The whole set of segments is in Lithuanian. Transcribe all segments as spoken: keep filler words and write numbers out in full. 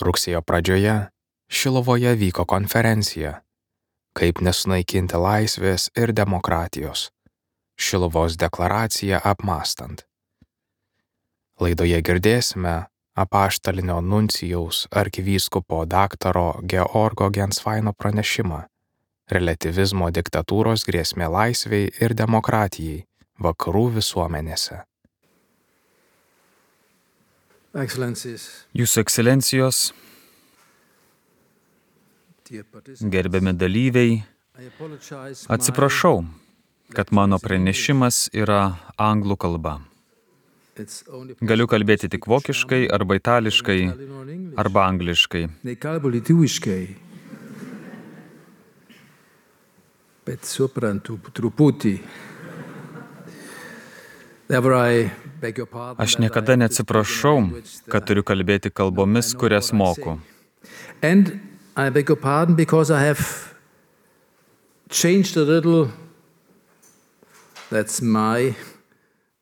Rugsėjo pradžioje Šiluvoje vyko konferencija Kaip nesunaikinti laisvės ir demokratijos. Šiluvos deklaraciją apmąstant. Laidoje girdėsime apaštalinio nuncijaus arkivyskupo daktaro Georgo Gensvaino pranešimą Reliatyvizmo diktatūros grėsmė laisvei ir demokratijai vakarų visuomenėse. Jūsų ekscelencijos, gerbiami dalyviai, atsiprašau, kad mano pranešimas yra anglų kalba. Galiu kalbėti tik vokiškai, arba itališkai, arba angliškai. Bet suprantu truputį. Aš niekada neatsiprašau, kad turiu kalbėti kalbomis, kurias moku. And I beg your pardon because I have changed a little. That's my.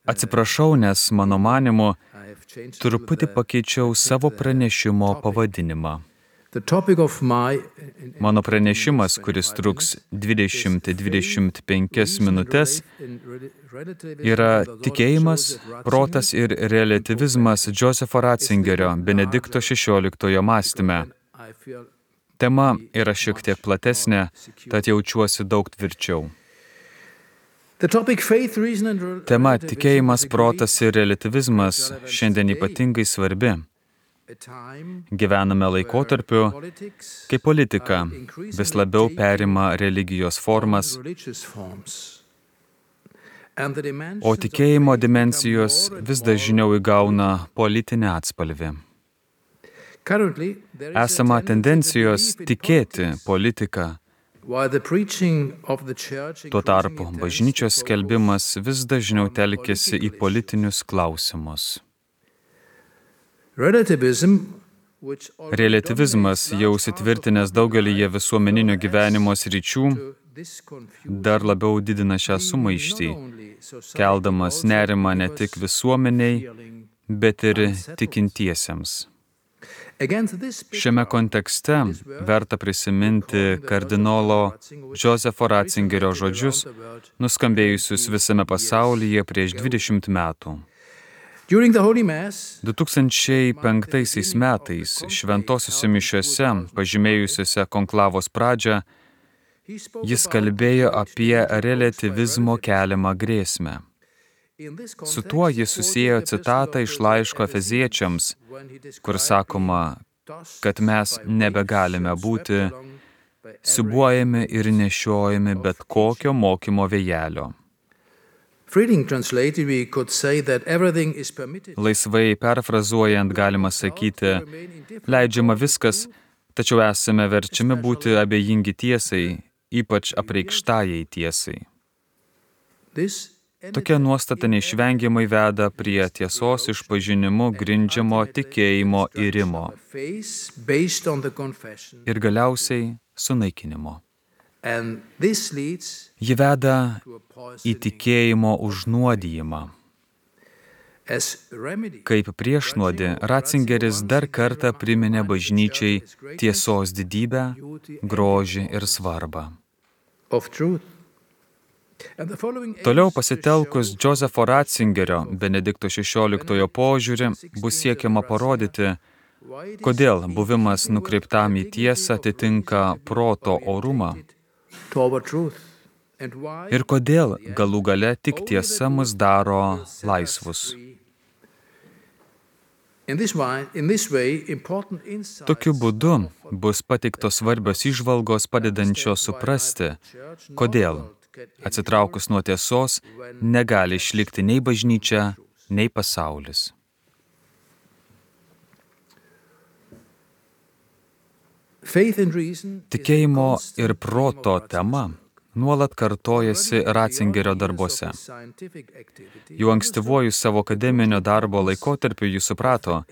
Atsiprašau, nes mano manymu truputį pakeičiau savo pranešimo pavadinimą. Mano pranešimas, kuris truks dvidešimt dvidešimt penkias minutes, yra tikėjimas, protas ir reliatyvizmas Josepho Ratzingerio Benedikto šešioliktojo mąstyme. Tema yra šiek tiek platesnė, tad jaučiuosi daug tvirčiau. Tema tikėjimas, protas ir reliatyvizmas šiandien ypatingai svarbi. Gyvename laikotarpiu, kai politika vis labiau perima religijos formas, o tikėjimo dimensijos vis dažniau įgauna politinę atspalvį. Esama tendencijos tikėti politiką. Tuo tarpu bažnyčios skelbimas vis dažniau telkiasi į politinius klausimus. Reliatyvizmas, jau įsitvirtinęs daugelyje visuomeninio gyvenimo sričių, dar labiau didina šią sumaištį, keldamas nerimą ne tik visuomeniai, bet ir tikintiesiems. Šiame kontekste verta prisiminti kardinolo Josepho Ratzingerio žodžius, nuskambėjusius visame pasaulyje prieš dvidešimt metų. du tūkstančiai penktaisiais metais šventosiuose mišiose, pažymėjusiuose konklavos pradžią, jis kalbėjo apie reliatyvizmo keliamą grėsmę. Su tuo jis susiejo citatą iš laiško Efeziečiams, kur sakoma, kad mes nebegalime būti siūbuojami ir nešiojami bet kokio mokymo vėjelio. Laisvai perfrazuojant galima sakyti, leidžiama viskas, tačiau esame verčiami būti abejingi tiesai, ypač apreikštajai tiesai. Tokia nuostata neišvengiamai veda prie tiesos išpažinimu grindžiamo tikėjimo irimo ir galiausiai sunaikinimo. Ji veda į tikėjimo užnuodijimą. Kaip priešnuodį, Ratzingeris dar kartą priminė bažnyčiai tiesos didybę, grožį ir svarbą. Toliau pasitelkus Josepho Ratzingerio Benedikto šešioliktojo požiūrį bus siekiama parodyti, kodėl buvimas nukreiptam į tiesą atitinka proto orumą ir kodėl galų gale tik tiesa mus daro laisvus. Tokiu būdu bus pateiktos svarbios įžvalgos padedančios suprasti, kodėl, atsitraukus nuo tiesos, negali išlikti nei bažnyčia, nei pasaulis. Tikėjimo ir proto tema nuolat kartojasi Ratzingerio darbuose. Jau ankstyvuoju savo akademinio darbo laikotarpiu jis suprato,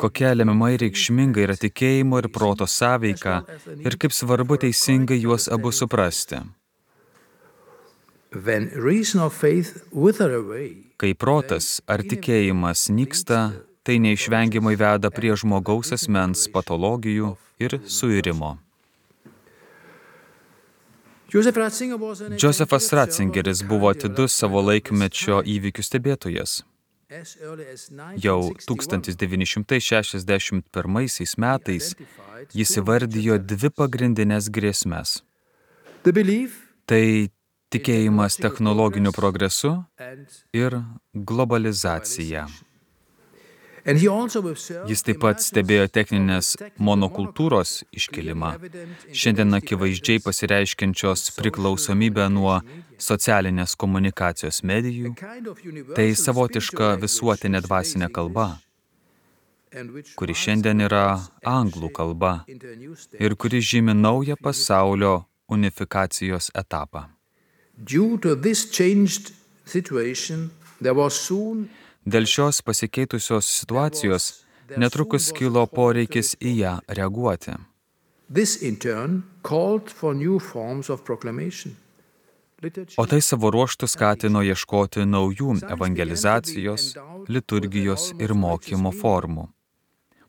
kokia lemiamai reikšminga yra tikėjimo ir proto sąveika ir kaip svarbu teisingai juos abu suprasti. Kai protas ar tikėjimas nyksta, tai neišvengiamai veda prie žmogaus asmens patologijų ir suirimo. Josefas Ratzingeris buvo atidus savo laikmečio įvykių stebėtojas. Jau tūkstantis devyni šimtai šešiasdešimt pirmaisiais metais jis įvardijo dvi pagrindinės grėsmes. Tai tikėjimas technologiniu progresu ir globalizacija. Jis taip pat stebėjo techninės monokultūros iškilimą, šiandien akivaizdžiai pasireiškiančios priklausomybę nuo socialinės komunikacijos medijų, tai savotiška visuotinė dvasinė kalba, kuri šiandien yra anglų kalba ir kuri žymi naują pasaulio unifikacijos etapą. Dėl šios pasikeitusios situacijos netrukus kilo poreikis į ją reaguoti. O tai savo ruožtu skatino ieškoti naujų evangelizacijos, liturgijos ir mokymo formų.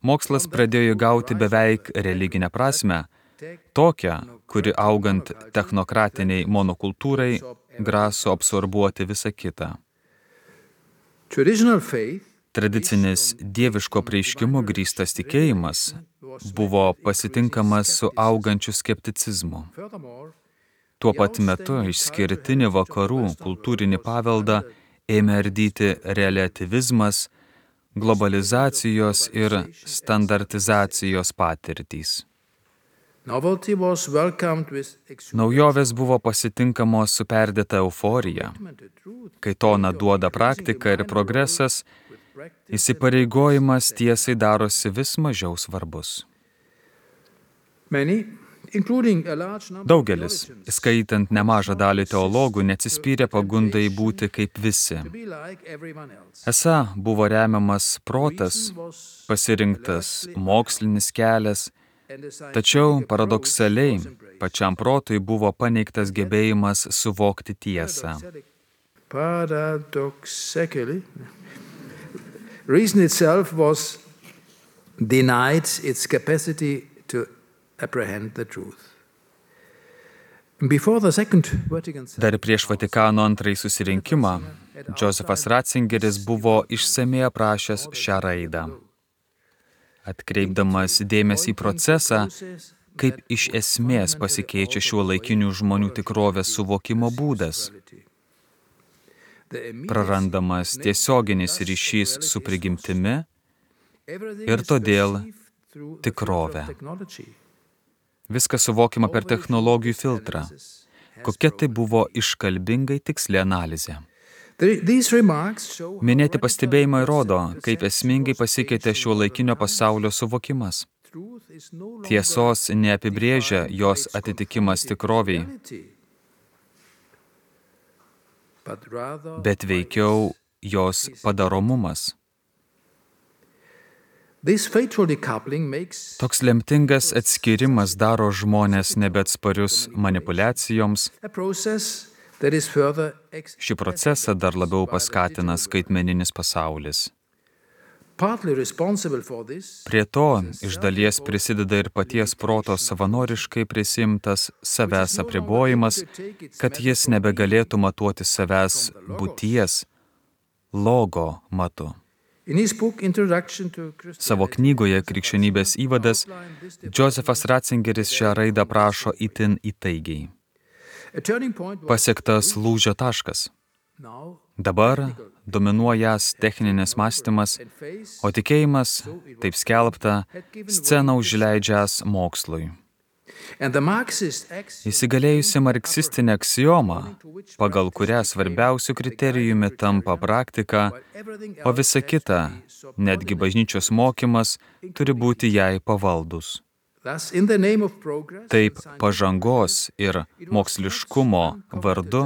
Mokslas pradėjo gauti beveik religinę prasmę, tokią, kuri augant technokratiniai monokultūrai graso absorbuoti visą kitą. Tradicinis dieviško apreiškimu grįstas tikėjimas buvo pasitinkamas su augančiu skepticizmu. Tuo pat metu išskirtinį vakarų kultūrinį paveldą ėmė ardyti reliatyvizmas, globalizacijos ir standartizacijos patirtys. Naujovės buvo pasitinkamos su perdėta euforija. Kai toną duoda praktika ir progresas, įsipareigojimas tiesai darosi vis mažiau svarbus. Daugelis, skaitant nemažą dalį teologų, neatsispyrė pagundai būti kaip visi. Esą buvo remiamas protas, pasirinktas mokslinis kelias, tačiau paradoksaliai pačiam protui buvo paneigtas gebėjimas suvokti tiesą. Reason itself was denied its capacity to apprehend the truth. Before the Second Vatican Dar prieš Vatikano antrąjį susirinkimą, Josefas Ratzingeris buvo išsamiai aprašęs šią raidą, atkreipdamas dėmesį į procesą, kaip iš esmės pasikeičia šiuolaikinių žmonių tikrovės suvokimo būdas. Prarandamas tiesioginis ryšys su prigimtimi ir todėl tikrovė. Viskas suvokiama per technologijų filtrą. Kokia tai buvo iškalbingai tiksli analizė. Minėti pastebėjimai rodo, kaip esmingai pasikeitė šiuolaikinio pasaulio suvokimas. Tiesos neapibrėžia jos atitikimas tikroviai, bet veikiau jos padaromumas. Toks lemtingas atskirimas daro žmones nebeatsparius manipuliacijoms. Šį procesą dar labiau paskatina skaitmeninis pasaulis. Prie to iš dalies prisideda ir paties proto savanoriškai prisimtas savęs apribojimas, kad jis nebegalėtų matuoti savęs būties, logo matu. Savo knygoje Krikščionybės įvadas Josefas Ratzingeris šią raidą aprašo itin įtaigiai. Pasiektas lūžio taškas. Dabar dominuojas techninis mąstymas, o tikėjimas, taip skelbta, sceną užleidžiąs mokslui. Įsigalėjusi marksistinė aksioma, pagal kurią svarbiausių kriterijumi tampa praktika, o visa kita, netgi bažnyčios mokymas, turi būti jai pavaldus. Taip pažangos ir moksliškumo vardu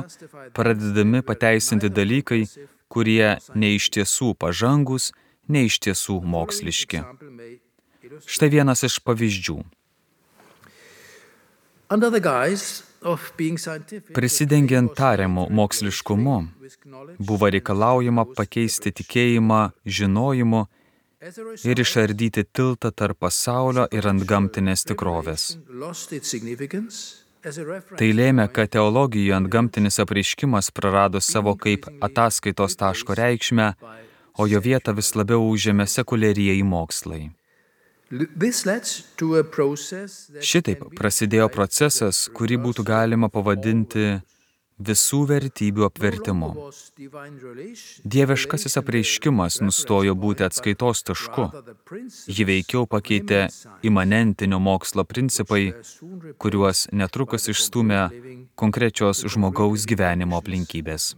pradedami pateisinti dalykai, kurie ne iš tiesų pažangus, ne iš tiesų moksliški. Štai vienas iš pavyzdžių. Prisidengiant tariamu moksliškumu, buvo reikalaujama pakeisti tikėjimą žinojimu ir išardyti tiltą tarp pasaulio ir antgamtinės tikrovės. Tai lėmė, kad teologijoje antgamtinis apreiškimas prarado savo kaip ataskaitos taško reikšmę, o jo vietą vis labiau užėmė sekuliarieji mokslai. Šitaip prasidėjo procesas, kurį būtų galima pavadinti visų vertybių apvertimu. Dieviškasis apreiškimas nustojo būti atskaitos tašku. Jį veikiau pakeitė imanentinio mokslo principai, kuriuos netrukus išstūmė konkrečios žmogaus gyvenimo aplinkybės.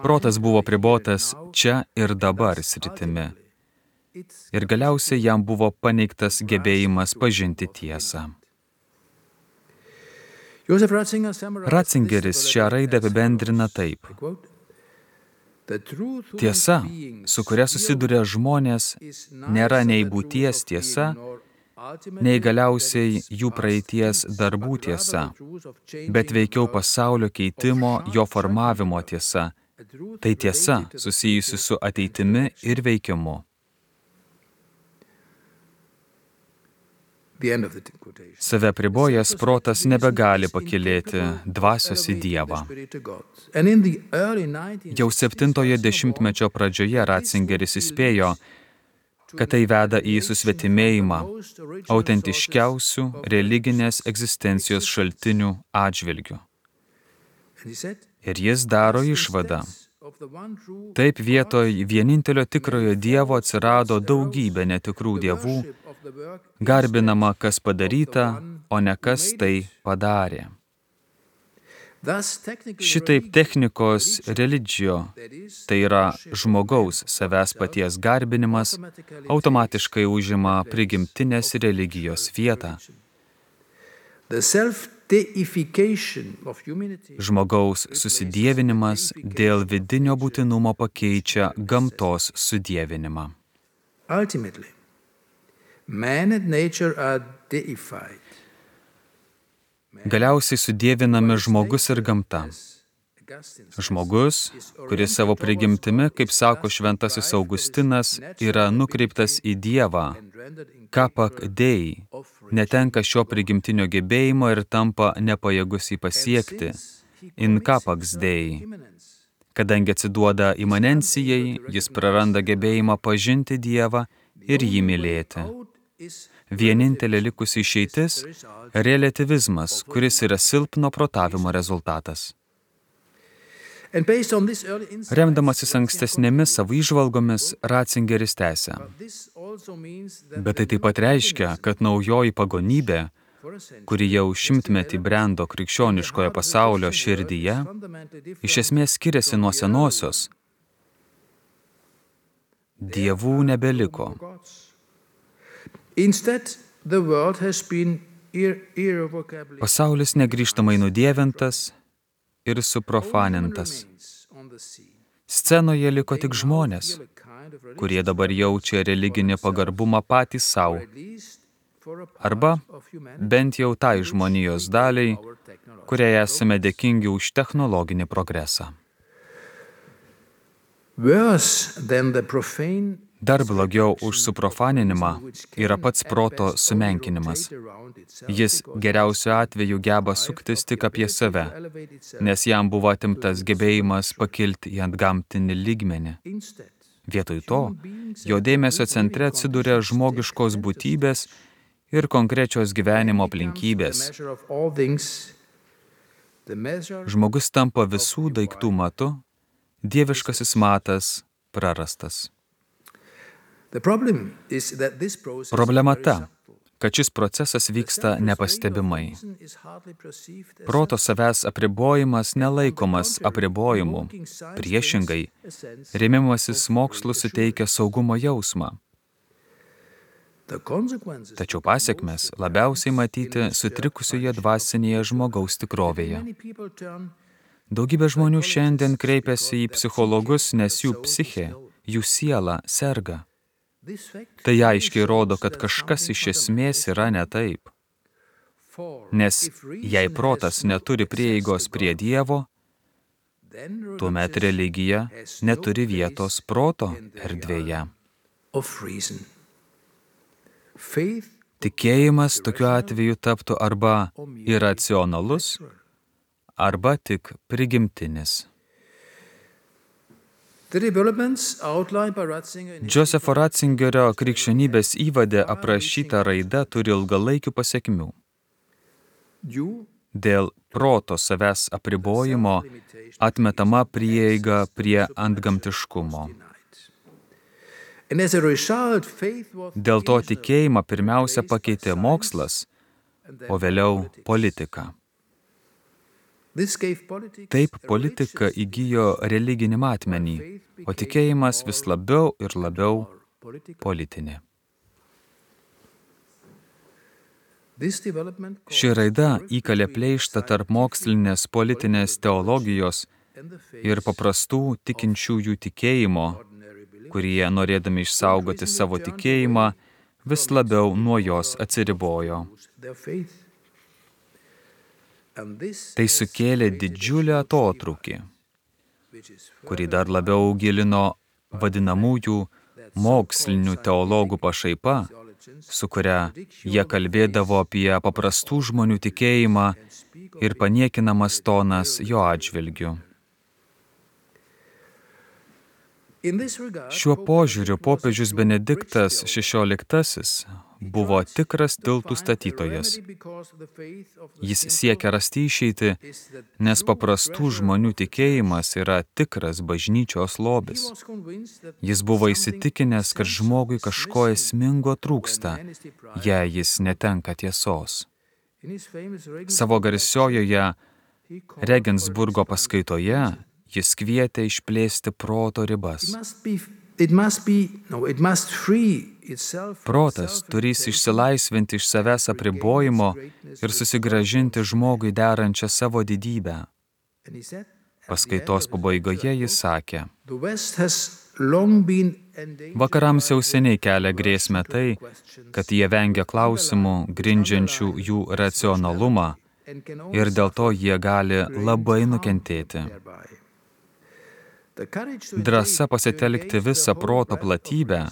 Protas buvo pribotas čia ir dabar sritimi. Ir galiausiai jam buvo paneigtas gebėjimas pažinti tiesą. Ratzingeris šią raidę apibendrina taip. Tiesa, su kuria susiduria žmonės, nėra nei būties tiesa, nei galiausiai jų praeities darbų tiesa, bet veikiau pasaulio keitimo, jo formavimo tiesa. Tai tiesa susijusi su ateitimi ir veikimu. Save pribojęs protas nebegali pakylėti dvasios į Dievą. Jau septintojo dešimtmečio pradžioje Ratzingeris įspėjo, kad tai veda į susvetimėjimą autentiškiausių religinės egzistencijos šaltinių atžvilgių. Ir jis daro išvadą. Taip vietoj vienintelio tikrojo Dievo atsirado daugybė netikrų dievų, garbinama kas padaryta, o ne kas tai padarė. Šitaip technikos religio, tai yra žmogaus savęs paties garbinimas, automatiškai užima prigimtinės religijos vietą. Žmogaus susidievinimas dėl vidinio būtinumo pakeičia gamtos sudievinimą. Galiausiai sudievinami žmogus ir gamta. Žmogus, kuris savo prigimtimi, kaip sako šventasis Augustinas, yra nukreiptas į Dievą, kapak dei, netenka šio prigimtinio gebėjimo ir tampa nepajėgus jį pasiekti, in kapaks dei. Kadangi atsiduoda imanencijai, jis praranda gebėjimą pažinti Dievą ir jį mylėti. Vienintelė likusi išeitis – relativizmas, kuris yra silpno protavimo rezultatas. Remdamasis ankstesnėmis savo įžvalgomis, Ratzingeris tęsia. Bet tai taip pat reiškia, kad naujoji pagonybė, kuri jau šimtmetį brendo krikščioniškojo pasaulio širdyje, iš esmės skiriasi nuo senosios. Dievų nebeliko. Pasaulis negrįžtamai nudievintas ir suprofanintas. Scenoje liko tik žmonės, kurie dabar jaučia religinį pagarbumą patys savo, arba bent jau tai žmonijos daliai, kuriai esame dėkingi už technologinį progresą. Dar blogiau už suprofaninimą yra pats proto sumenkinimas. Jis geriausiu atveju geba suktis tik apie save, nes jam buvo atimtas gebėjimas pakilti į antgamtinį lygmenį. Vietoj to, jo dėmesio centre atsiduria žmogiškos būtybės ir konkrečios gyvenimo aplinkybės. Žmogus tampa visų daiktų matu, dieviškasis matas prarastas. Problema ta, kad šis procesas vyksta nepastebimai. Proto savęs apribojimas nelaikomas apribojimu, priešingai, rėmimasis mokslu suteikia saugumo jausmą. Tačiau pasekmes labiausiai matyti sutrikusioje dvasinėje žmogaus tikrovėje. Daugybė žmonių šiandien kreipiasi į psichologus, nes jų psichė, jų siela serga. Tai aiškiai rodo, kad kažkas iš esmės yra ne taip. Nes jei protas neturi prieigos prie Dievo, tuomet religija neturi vietos proto erdvėje. Tikėjimas tokiu atveju taptų arba iracionalus, arba tik prigimtinis. Josepho Ratzingerio krikščionybės įvade aprašyta raida turi ilgalaikių pasekmių. Dėl proto savęs apribojimo atmetama prieiga prie antgamtiškumo. Dėl to tikėjimą pirmiausia pakeitė mokslas, o vėliau politika. Taip politika įgijo religinį matmenį, o tikėjimas vis labiau ir labiau politinė. Ši raida įkalė pleištą tarp mokslinės politinės teologijos ir paprastų tikinčiųjų tikėjimo, kurie, norėdami išsaugoti savo tikėjimą, vis labiau nuo jos atsiribojo. Tai sukėlė didžiulį atotrūkį, kurį dar labiau gilino vadinamųjų mokslinių teologų pašaipa, su kuria jie kalbėdavo apie paprastų žmonių tikėjimą ir paniekinamas tonas jo atžvilgiu. Šiuo požiūriu popiežius Benediktas šešioliktasis buvo tikras tiltų statytojas. Jis siekia rasti išeitį, nes paprastų žmonių tikėjimas yra tikras bažnyčios lobis. Jis buvo įsitikinęs, kad žmogui kažko esmingo trūksta, jei jis netenka tiesos. Savo garsiojoje Regensburgo paskaitoje jis kvietė išplėsti proto ribas. Protas turės išsilaisvinti iš savęs apribojimo ir susigrąžinti žmogui derančią savo didybę. Paskaitos pabaigoje jis sakė: vakarams jau seniai kelia grėsmę tai, kad jie vengia klausimų, grindžiančių jų racionalumą, ir dėl to jie gali labai nukentėti. Drąsa pasitelkti visą proto platybę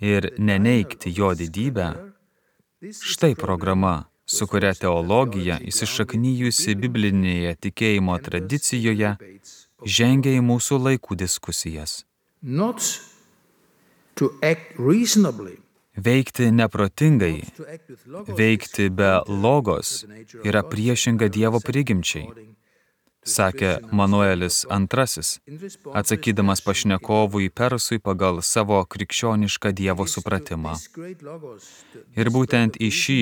ir neneigti jo didybę – štai programa, su kuria teologija, įsišaknijusi biblinėje tikėjimo tradicijoje, žengia į mūsų laikų diskusijas. Veikti neprotingai, veikti be logos yra priešinga Dievo prigimčiai, sakė Manuelis antrasis, atsakydamas pašnekovui Persui pagal savo krikščionišką Dievo supratimą. Ir būtent į šį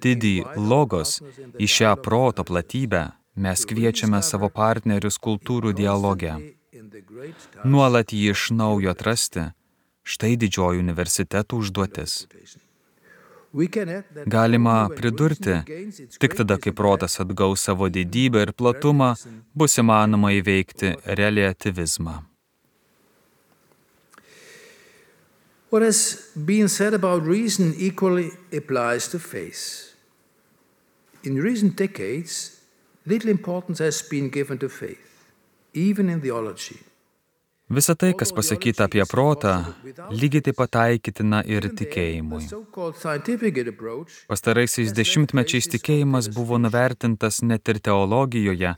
didį logos, į šią proto platybę mes kviečiame savo partnerius kultūrų dialoge. Nuolat jį iš naujo atrasti, štai didžioji universitetų užduotis. Galima pridurti, tik tada, kai protas atgaus savo didybę ir platumą, bus įmanoma įveikti reliatyvizmą. What has been said about reason equally applies to faith. In recent decades, little importance has been given to faith, even in theology. Visa tai, kas pasakyta apie protą, lygiai taip pat taikytina ir tikėjimui. Pastaraisiais dešimtmečiais tikėjimas buvo nuvertintas net ir teologijoje,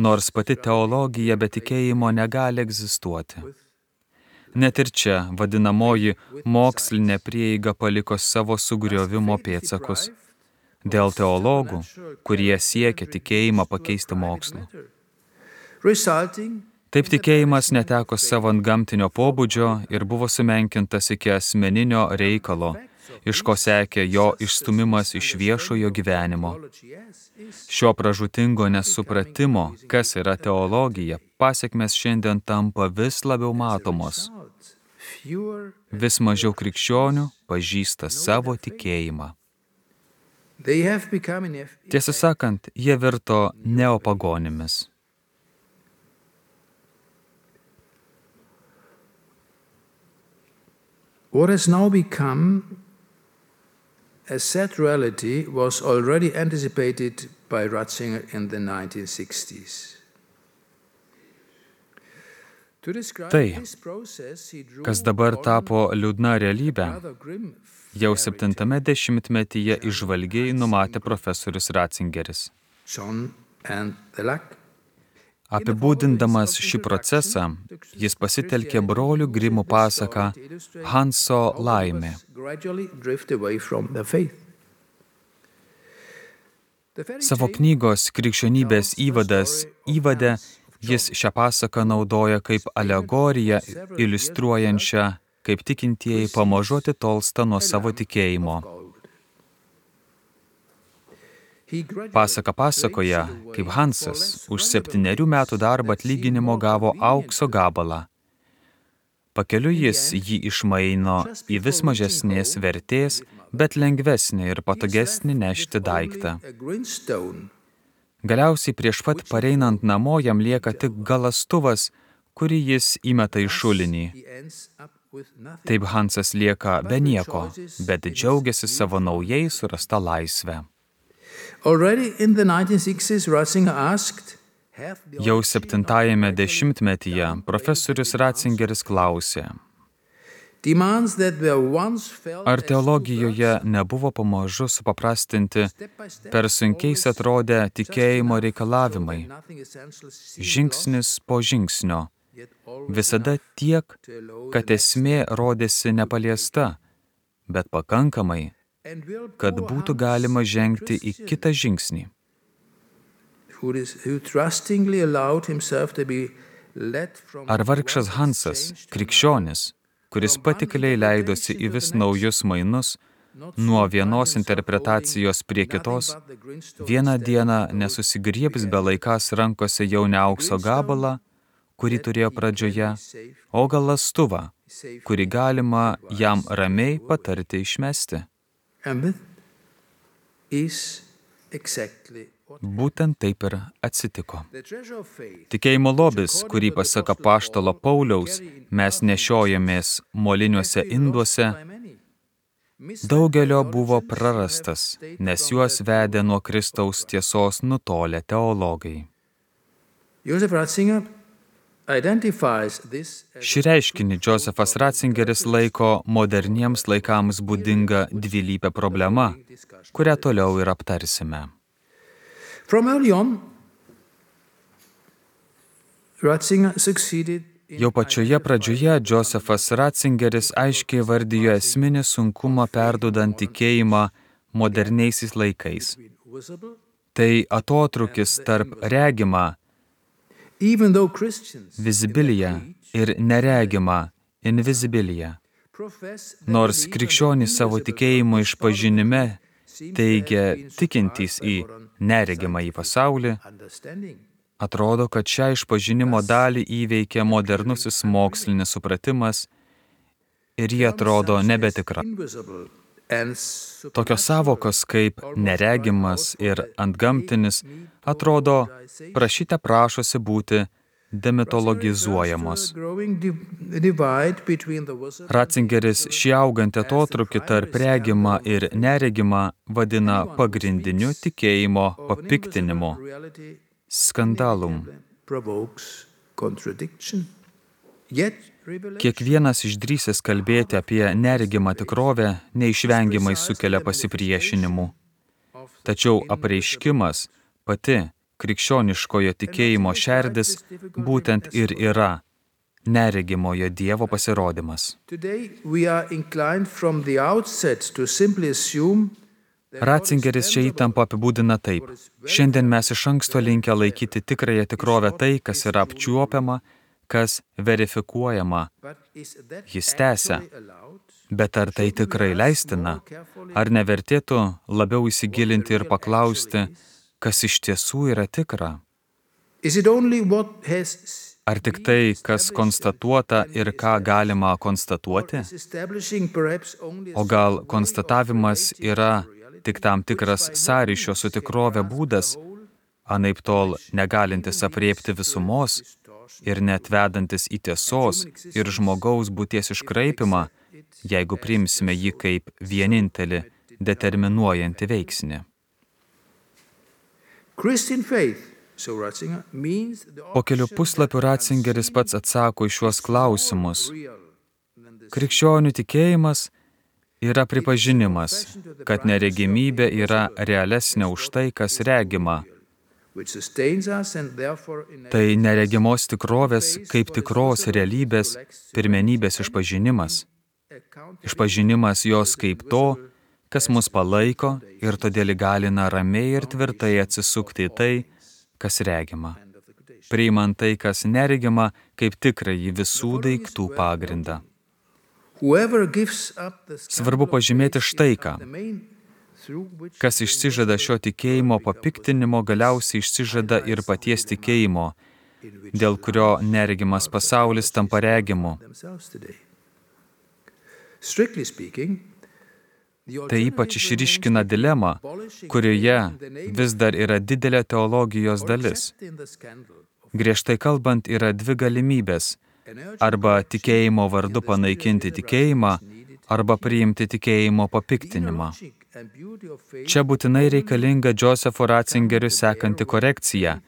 nors pati teologija be tikėjimo negali egzistuoti. Net ir čia vadinamoji mokslinė prieiga paliko savo sugriovimo pėdsakus dėl teologų, kurie siekia tikėjimą pakeisti mokslu. Taip tikėjimas neteko savo antgamtinio pobūdžio ir buvo sumenkintas iki asmeninio reikalo, iš ko sekė jo išstumimas iš viešojo gyvenimo. Šio pražūtingo nesupratimo, kas yra teologija, pasekmės šiandien tampa vis labiau matomos. Vis mažiau krikščionių pažįsta savo tikėjimą. Tiesą sakant, jie virto neopagonimis. What has now become a sad reality was already anticipated by Ratzinger in the nineteen sixties. Tai, kas dabar tapo liūdna realybė, jau septintame dešimtmetyje įžvalgiai numatė profesorius Ratzingeris. Apibūdindamas šį procesą, jis pasitelkė brolių Grimų pasaką Hanso laimė. Savo knygos Krikščionybės įvadas įvade jis šią pasaką naudoja kaip alegoriją, iliustruojančią, kaip tikintieji pamažu atitolsta nuo savo tikėjimo. Pasaka pasakoja, kaip Hansas už septynerių metų darbą atlyginimo gavo aukso gabalą. Pakeliui jis jį išmaino į vis mažesnės vertės, bet lengvesnį ir patogesnį nešti daiktą. Galiausiai prieš pat pareinant namo jam lieka tik galastuvas, kurį jis įmeta į šulinį. Taip Hansas lieka be nieko, bet džiaugiasi savo naujai surasta laisvę. Jau septintajame dešimtmetyje profesorius Ratzingeris klausė, ar teologijoje nebuvo pamažu supaprastinti per sunkiais atrodę tikėjimo reikalavimai, žingsnis po žingsnio, visada tiek, kad esmė rodėsi nepaliesta, bet pakankamai, kad būtų galima žengti į kitą žingsnį. Ar vargšas Hansas, krikščionis, kuris patikliai leidosi į vis naujus mainus, nuo vienos interpretacijos prie kitos, vieną dieną nesusigriebs be laikas rankose jau ne aukso gabalą, kurį turėjo pradžioje, o galastuvą, kurį galima jam ramiai patarti išmesti. Būtent taip ir atsitiko. Tikėjimo lobis, kurį pasak apaštalo Pauliaus mes nešiojamės moliniuose induose, daugelio buvo prarastas, nes juos vedė nuo Kristaus tiesos nutolę teologai. Šį reiškinį Josefas Ratzingeris laiko moderniems laikams būdinga dvilypė problema, kurią toliau ir aptarsime. Jau pačioje pradžioje Josefas Ratzingeris aiškiai vardijo esminį sunkumą perduodant tikėjimą moderniaisiais laikais. Tai atotrūkis tarp regimą, vizibiliją ir neregimą, invisibiliją. Nors krikščionys savo tikėjimo išpažinime teigia tikintys į neregimą į pasaulį, atrodo, kad šią išpažinimo dalį įveikia modernusis mokslinis supratimas ir jie atrodo nebetikra. Tokios savokos kaip neregimas ir antgamtinis atrodo prašyte prašosi būti demitologizuojamos. Ratzingeris šį augantį atotrūkį tarp regimą ir neregimą vadina pagrindiniu tikėjimo papiktinimu, skandalum. Kiekvienas išdrįsęs kalbėti apie neregimą tikrovę neišvengiamai sukelia pasipriešinimų. Tačiau apreiškimas, pati krikščioniškojo tikėjimo šerdis, būtent ir yra neregimojo Dievo pasirodymas. Ratzingeris čia įtampą apibūdina taip. Šiandien mes iš anksto linkę laikyti tikrąją tikrovę tai, kas yra apčiuopiama, kas verifikuojama. Jis tęsia. Bet ar tai tikrai leistina? Ar nevertėtų labiau įsigilinti ir paklausti, kas iš tiesų yra tikra? Ar tik tai, kas konstatuota ir ką galima konstatuoti? O gal konstatavimas yra tik tam tikras sąryšio su tikrove būdas, anaiptol negalintis aprėpti visumos ir net vedantis į tiesos ir žmogaus būties iškraipimą, jeigu priimsime jį kaip vienintelį determinuojantį veiksnį. Po kelių puslapių Ratzingeris pats atsako į šiuos klausimus. Krikščionių tikėjimas yra pripažinimas, kad neregimybė yra realesnė už tai, kas regima. Tai neregimos tikrovės kaip tikros realybės pirmenybės išpažinimas. Išpažinimas jos kaip to, kas mus palaiko ir todėl įgalina ramiai ir tvirtai atsisukti į tai, kas regima, priimant tai, kas neregima, kaip tikrąjį visų daiktų pagrindą. Svarbu pažymėti štai ką. Kas išsižada šio tikėjimo papiktinimo, galiausiai išsižada ir paties tikėjimo, dėl kurio neregimas pasaulis tampa regimu. Tai ypač išryškina dilemą, kurioje vis dar yra didelė teologijos dalis. Griežtai kalbant, yra dvi galimybės – arba tikėjimo vardu panaikinti tikėjimą, arba priimti tikėjimo papiktinimą. Čia būtinai reikalinga Josepho Ratzingeriu sekanti korekcija.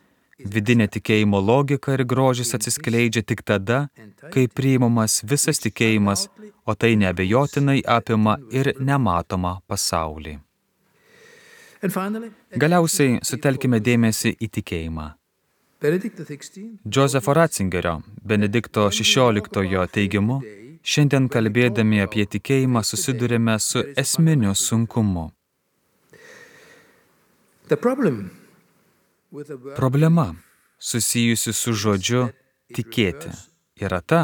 Vidinė tikėjimo logika ir grožis atsiskleidžia tik tada, kai priimamas visas tikėjimas, o tai neabejotinai apima ir nematomą pasaulį. Galiausiai sutelkime dėmesį į tikėjimą. Josepho Ratzingerio, Benedikto šešioliktojo teigimu, šiandien kalbėdami apie tikėjimą susidurime su esminiu sunkumu. Problema, susijusi su žodžiu tikėti, yra ta,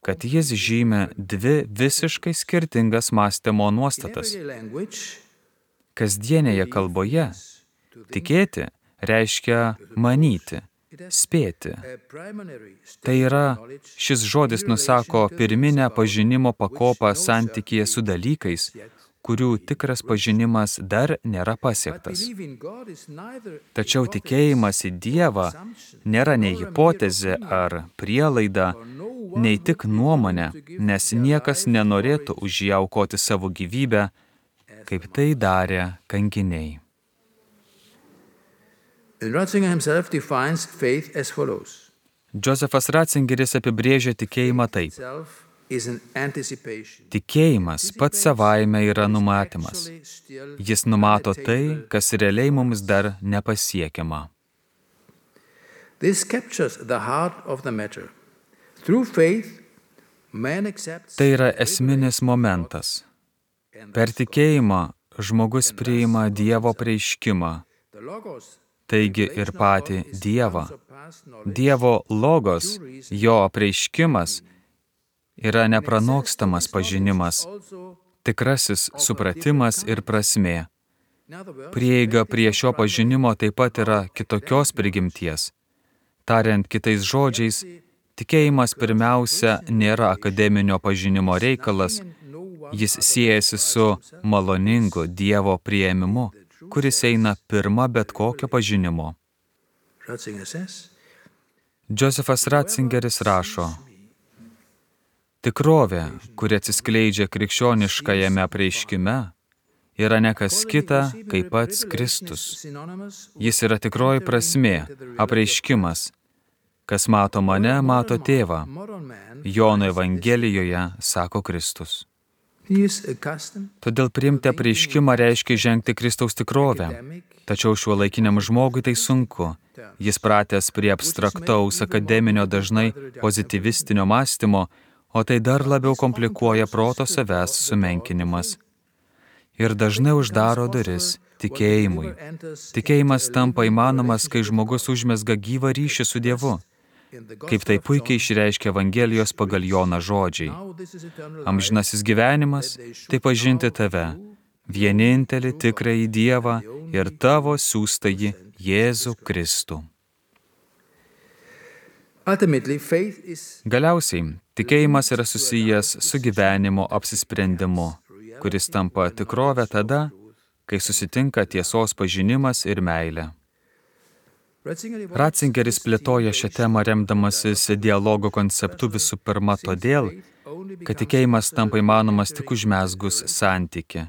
kad jis žymi dvi visiškai skirtingas mąstymo nuostatas. Kasdienėje kalboje tikėti reiškia manyti, spėti. Tai yra, šis žodis nusako pirminę pažinimo pakopą santykyje su dalykais, kurių tikras pažinimas dar nėra pasiektas. Tačiau tikėjimas į Dievą nėra nei hipotezė ar prielaida, nei tik nuomonė, nes niekas nenorėtų už ją aukoti savo gyvybę, kaip tai darė kankiniai. Ratzinger himself defines faith as follows. Josephas Ratzingeris apibrėžia tikėjimą taip. Tikėjimas pats savaime yra numatymas. Jis numato tai, kas realiai mums dar nepasiekiama. Tai yra esminis momentas. Per tikėjimą žmogus priima Dievo apreiškimą, taigi ir patį Dievą. Dievo logos, jo apreiškimas, yra nepranokstamas pažinimas, tikrasis supratimas ir prasmė. Prieiga prie šio pažinimo taip pat yra kitokios prigimties. Tariant kitais žodžiais, tikėjimas pirmiausia nėra akademinio pažinimo reikalas, jis siejasi su maloningu Dievo priėmimu, kuris eina pirma bet kokio pažinimo. Josephas Ratzingeris rašo, tikrovė, kuri atsiskleidžia krikščioniškajame apreiškime, yra ne kas kita, kaip pats Kristus. Jis yra tikroji prasmė, apreiškimas. Kas mato mane, mato tėvą. Jono Evangelijoje sako Kristus. Todėl priimti apreiškimą reiškia žengti Kristaus tikrovę. Tačiau šiuolaikiniam žmogui tai sunku. Jis pratęs prie abstraktaus akademinio dažnai pozityvistinio mąstymo, o tai dar labiau komplikuoja proto savęs sumenkinimas. Ir dažnai uždaro duris tikėjimui. Tikėjimas tampa įmanomas, kai žmogus užmezga gyvą ryšį su Dievu. Kaip tai puikiai išreiškia Evangelijos pagal Joną žodžiai. Amžinasis gyvenimas – tai pažinti tave, vienintelį tikrąjį Dievą ir tavo siųstąjį Jėzų Kristų. Galiausiai, tikėjimas yra susijęs su gyvenimo apsisprendimu, kuris tampa tikrovę tada, kai susitinka tiesos pažinimas ir meilė. Ratzingeris plėtoja šią temą remdamasis dialogo konceptu visų pirma todėl, kad tikėjimas tampa įmanomas tik užmezgus santykį.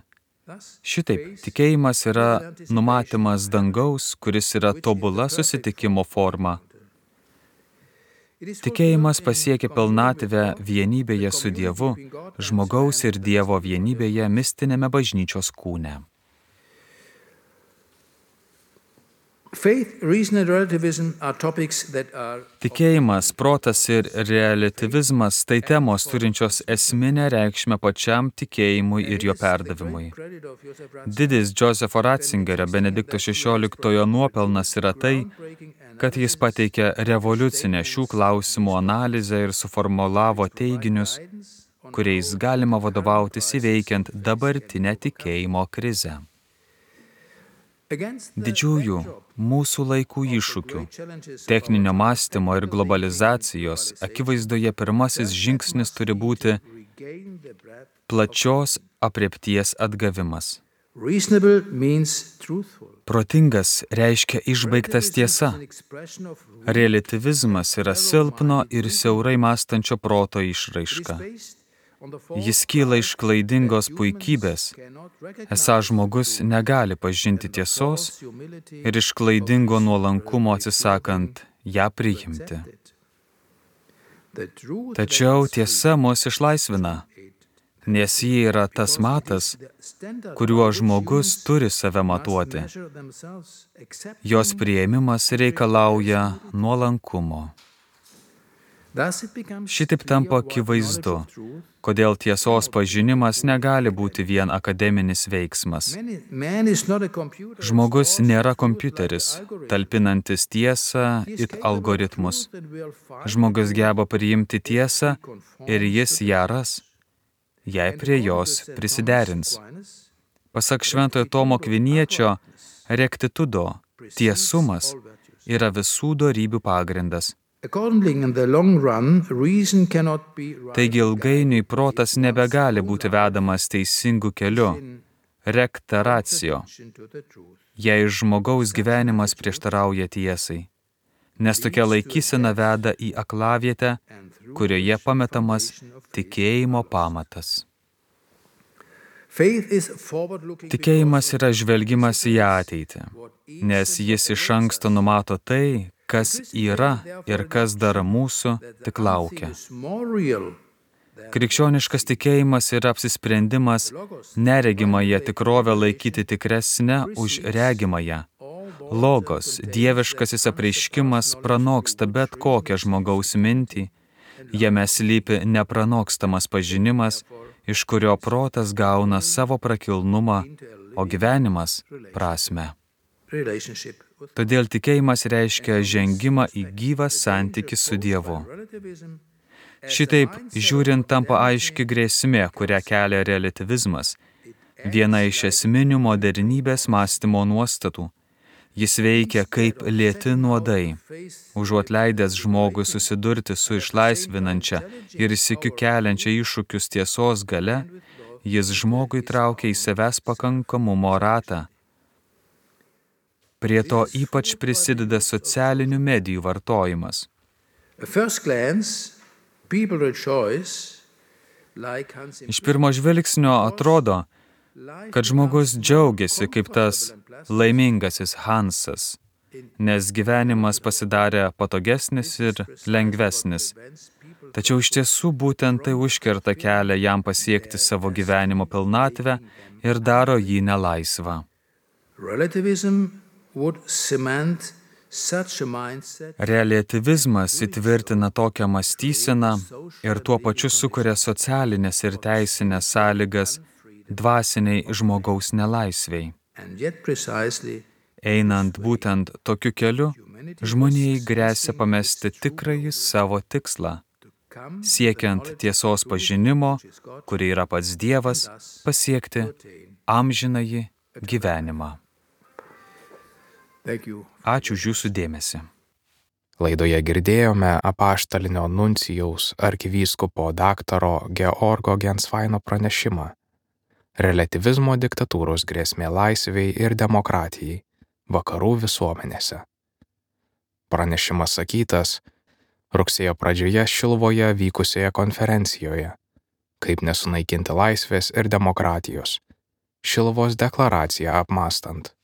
Šitaip, tikėjimas yra numatymas dangaus, kuris yra tobula susitikimo forma. Tikėjimas pasiekia pilnatvę vienybėje su Dievu, žmogaus ir Dievo vienybėje mistinėme bažnyčios kūne. Tikėjimas, protas ir reliatyvizmas tai temos turinčios esminę reikšmę pačiam tikėjimui ir jo perdavimui. Didis Josepho Ratzingerio Benedikto šešioliktojo nuopelnas yra tai, kad jis pateikė revoliucinę šių klausimų analizę ir suformulavo teiginius, kuriais galima vadovautis įveikiant dabartinę tikėjimo krizę. Didžiųjų mūsų laikų iššūkių, techninio mąstymo ir globalizacijos akivaizdoje pirmasis žingsnis turi būti plačios aprėpties atgavimas. Protingas reiškia išbaigtas tiesa. Reliatyvizmas yra silpno ir siaurai mąstančio proto išraiška. Jis kyla iš klaidingos puikybės, esą žmogus negali pažinti tiesos ir iš klaidingo nuolankumo atsisakant ją priimti. Tačiau tiesa mus išlaisvina, nes ji yra tas matas, kuriuo žmogus turi save matuoti. Jos priėmimas reikalauja nuolankumo. Šitaip tampa akivaizdu, kodėl tiesos pažinimas negali būti vien akademinis veiksmas. Žmogus nėra kompiuteris, talpinantis tiesą it algoritmus. Žmogus geba priimti tiesą ir jis ją ras, jei prie jos prisiderins. Pasak Šventojo Tomo Akviniečio, rektitudo, tiesumas yra visų dorybių pagrindas. Taigi ilgainiui protas nebegali būti vedamas teisingu keliu, recta ratio, jei žmogaus gyvenimas prieštarauja tiesai, nes tokia laikysena veda į aklavietę, kurioje pametamas tikėjimo pamatas. Tikėjimas yra žvelgimas į ateitį, nes jis iš anksto numato tai, kas yra ir kas dar mūsų tik laukia. Krikščioniškas tikėjimas yra apsisprendimas neregimąją tikrovę laikyti tikresnę už regimąją. Logos, dieviškasis apreiškimas pranoksta bet kokią žmogaus mintį, jame slypi nepranokstamas pažinimas, iš kurio protas gauna savo prakilnumą, o gyvenimas prasmę. Todėl tikėjimas reiškia žengimą į gyvą santykį su Dievu. Šitaip, žiūrint, tampa aiški grėsmė, kurią kelia reliatyvizmas, viena iš esminių modernybės mąstymo nuostatų. Jis veikia kaip lėti nuodai. Užuot leidęs žmogui susidurti su išlaisvinančia ir sykiu keliančia iššūkius tiesos gale, jis žmogui traukia į savęs pakankamumo ratą. Prie to ypač prisideda socialinių medijų vartojimas. Iš pirmo žvilgsnio atrodo, kad žmogus džiaugiasi kaip tas laimingasis Hansas, nes gyvenimas pasidarė patogesnis ir lengvesnis. Tačiau iš tiesų būtent tai užkerta kelią jam pasiekti savo gyvenimo pilnatvę ir daro jį nelaisvą. Reliatyvizmas įtvirtina tokią mąstyseną ir tuo pačiu sukuria socialinės ir teisinės sąlygas dvasiniai žmogaus nelaisviai. Einant būtent tokiu keliu, žmonijai gresia pamesti tikrąjį savo tikslą, siekiant tiesos pažinimo, kuri yra pats Dievas, pasiekti amžinąjį gyvenimą. Ačiū už jūsų dėmesį. Laidoje girdėjome apaštalinio nuncijaus arkivyskupo daktaro Georgo Gensvaino pranešimą Reliatyvizmo diktatūros grėsmė laisvei ir demokratijai vakarų visuomenėse. Pranešimas sakytas rugsėjo pradžioje Šiluvoje vykusioje konferencijoje Kaip nesunaikinti laisvės ir demokratijos Šiluvos deklaraciją apmąstant.